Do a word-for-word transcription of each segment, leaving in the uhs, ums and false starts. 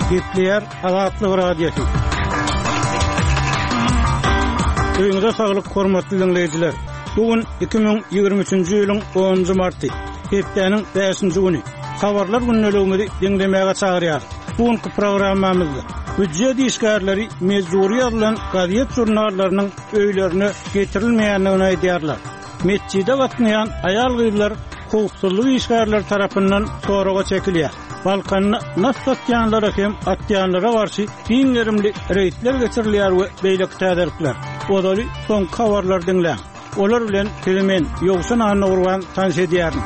Gepleýär Azatlyk Radiosy. Öýüňize saglyk, hormatly diňleýjiler. Bu gün iki müň ýigrimi üçünji ýylyň onunjy marty, hepdäniň bäşinji güni. Habarlar gündeligimizi diňlemäge çagyrýarys. Bu günki programmamyzda býujet işgärleri mejbury ýazylan gazet-žurnallarynyň öýlerine getirilmeýändigini aýdýarlar. Metjide gatnaýan aýal-gyzlar howpsuzlyk işgärleri tarapyndan soraga çekilýär. Balkanda nas satýanlara hem atýanlara garşy giň gerimli reýdler geçirilýär we beýleki täzelikler. Ozaly soňky habarlary diňläň. Olar bilen sizi men, Ýowşan Annagurban tanyş edýärin.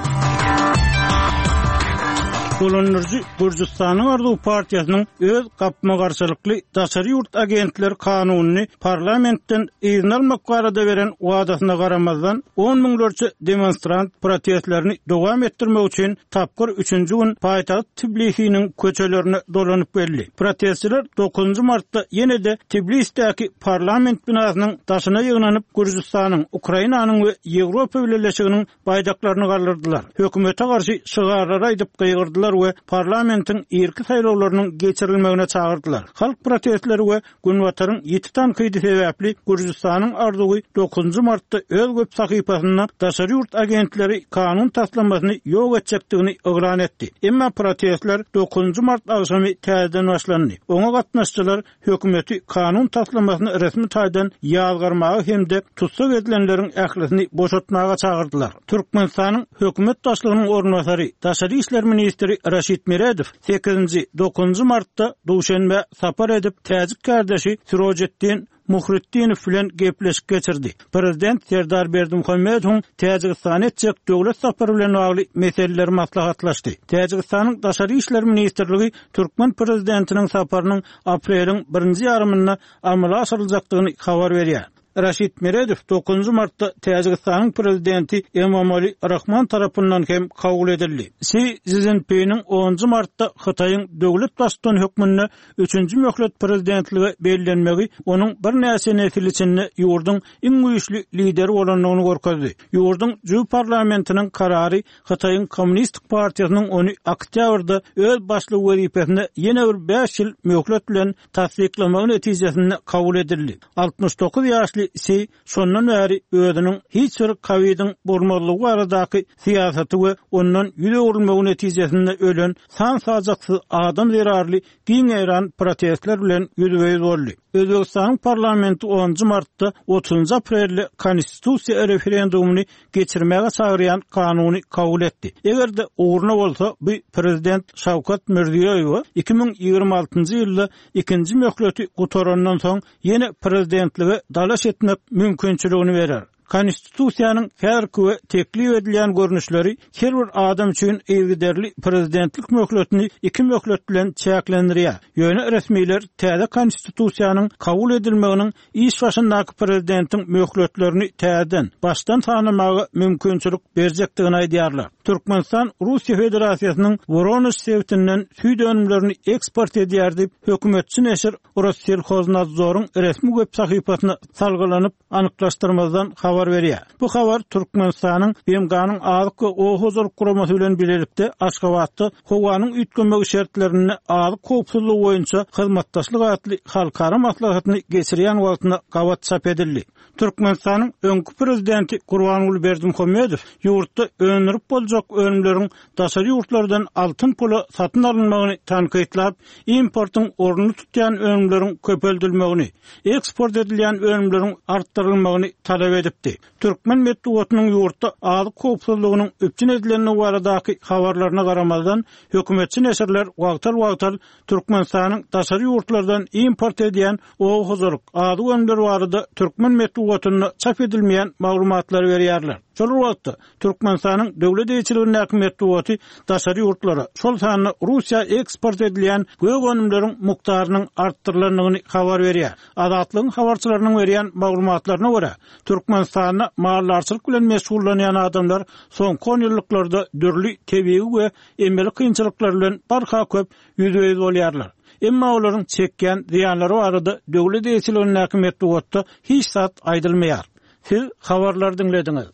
Dolandyryjy Gürjüstanyň Arzuw partiýasynyň öz gapma-garşylykly daşary ýurt agentleri kanunyny parlamentden yzyna almak barada beren wadasyna garamazdan, on müňlerçe demonstrant protestlerini dowam etdirmek üçin tapgyr üçünji gün paýtagt Tbilisiniň köçelerine dolanyp geldi. Protestçiler dokuzynjy martda ýene-de Tbilisdäki parlament binasynyň daşyna ýygnanyp, Gürjüstanyň, Ukrainanyň we Ýewropa Bileleşiginiň baýdaklaryny galdyrdylar. Hökümete garşy şygarlary aýdyp gygyrdylar we parlamentiň irki saýlawlarynyň geçirilmegine çagyrdylar. Halk protestleri we Günbataryň ýiti tankydy sebäpli Gürjüstanyň arzuwy dokuzynjy martda öz web sahypasynda daşary ýurt agentleri kanun taslamasyny ýok etjekdigini yglan etdi. Emma protestler dokuzynjy mart agşamy täzeden başlandy. Oňa gatnaşyjylar hökümeti kanun taslamasyny resmi taýdan ýazgarmaga hem-de tussag edilenleriň ählisini boşatmaga çagyrdylar. Türkmenistanyň hökümet başlygynyň orunbasary, Daşary işler ministri Raşid Meredow sekizinji, dokuzynjy martda Duşenbe sapar edip, täjik kardeşi Sirojetdin Muhriddinow bilen gepleşik geçirdi. Prezident Serdar Berdimuhamedowyň Täjigistana etjek döwlet sapary bilen bagly meseleler maslahatlaşdy. Täjigistanyň Daşary işler ministrligi Türkmen prezidentiniň saparynyň apreliň birinji ýarymynda amala aşyryljakdygyny habar berýär. Raşid Meredow dokuzynjy martda Täjigistanyň prezidenti Emomali Rahman tarapyndan hem kabul edildi. Si Szinpiniň onunjy martda Hytaýyň döwlet baştutany hökmünde üçünji möhlet prezidentlige bellenmegi onuň birnäçe nesil içinde ýurduň iň güýçli lideri bolandygyny görkezdi. Ýurduň Jüw parlamentiniň karary Hytaýyň Kommunistik partiýasynyň ony oktýabrda öz başlyk wezipesine ýene bir bäş ýyl möhlet bilen tassyklamagy netijesinde kabul edildi. Altmyş dokuz ýaşly Si şondan bäri özüniň hiç bir Covid'in bolmazlygy baradaky syýasaty we ondan ýüz öwrülmegi netijesinde ölen san-sajaksyz adam zerarly giň ýaýran protestler bilen ýüzbe-ýüz boldy. Özbekistanyň parlamenti onunjy martda otuzynjy aprelde konstitusiýa referendumyny geçirmäge çagyrýan kanuny kabul etdi. Eger-de ugruna bolsa, bu prezident Şawkat Mirziýoýew iki müň ýigrimi altynjy ýylda ikinji möhleti gutarandan soň ýene prezidentlige dalaş etmek mümkinçiligini berer. Konstitusiýanyň häzirki we teklip edilýän görnüşleri her bir adam üçin yzygiderli prezidentlik möhletini iki möhlet bilen çäklendirýär. Ýöne resmiler täze konstitusiýanyň kabul edilmeginiň iş başyndaky prezidentiň möhletlerini täzeden başdan sanamaga mümkinçilik berjekdigini aýdýarlar. Türkmenistan Russiýa Federasiýasynyň Woronež sebitinden süýt önümlerini eksport edýär diýip, hökümetçi neşir Rosselxoznadzoryň resmi web sahypasyna salgylanyp anyklaşdyrmazdan habar berýär. Bu habar Türkmenistanyň B M G-nyň Azyk we Oba hojalyk guramasy bilen birlikde Aşgabatda howanyň üýtgemegi şertlerinde azyk howpsuzlygy boýunça hyzmatdaşlyk atly halkara maslahatyny geçirýän wagtyna gabat çap edildi. Türkmenistanyň öňki prezidenti Gurbanguly Berdimuhamedow ýurtda öndürip boljak önümleriň daşary ýurtlardan altyn pula satyn alynmagyny tankytlap, importyň ornuny tutýan önümleriň köpeldilmegini, eksport edilýän önümleriň artdyrylmagyny talap edipdi. Türkmen metbugatynyň ýurtda azyk howpsuzlygynyň üpjün edilendigi baradaky habarlaryna garamazdan, hökümetçi neşirler wagtal-wagtal Türkmenistanyň daşary ýurtlardan import edýän oba hojalyk azyk önümleri barada türkmen metbugatynda çap edilmeýän maglumatlary berýärler. Şol wagtda Türkmenistanyň döwlet eýeçiligindäki metbugaty daşary ýurtlara, şol sanda Russiýa eksport edilýän gök önümleriň mukdarynyň artdyrylandygyny habar berýär. Azatlygyň habarçylarynyň berýän maglumatlaryna görä, Türkmenistanda maldarçylyk bilen meşgullanýan adamlar soňky on ýyllyklarda dürli tebigy we emeli kynçylyklar bilen barha köp ýüzbe-ýüz bolýarlar. Emma olaryň çekýän zyýanlary barada döwlet eýeçiligindäki metbugatda hiç zat aýdylmaýar. Siz habarlary diňlediňiz.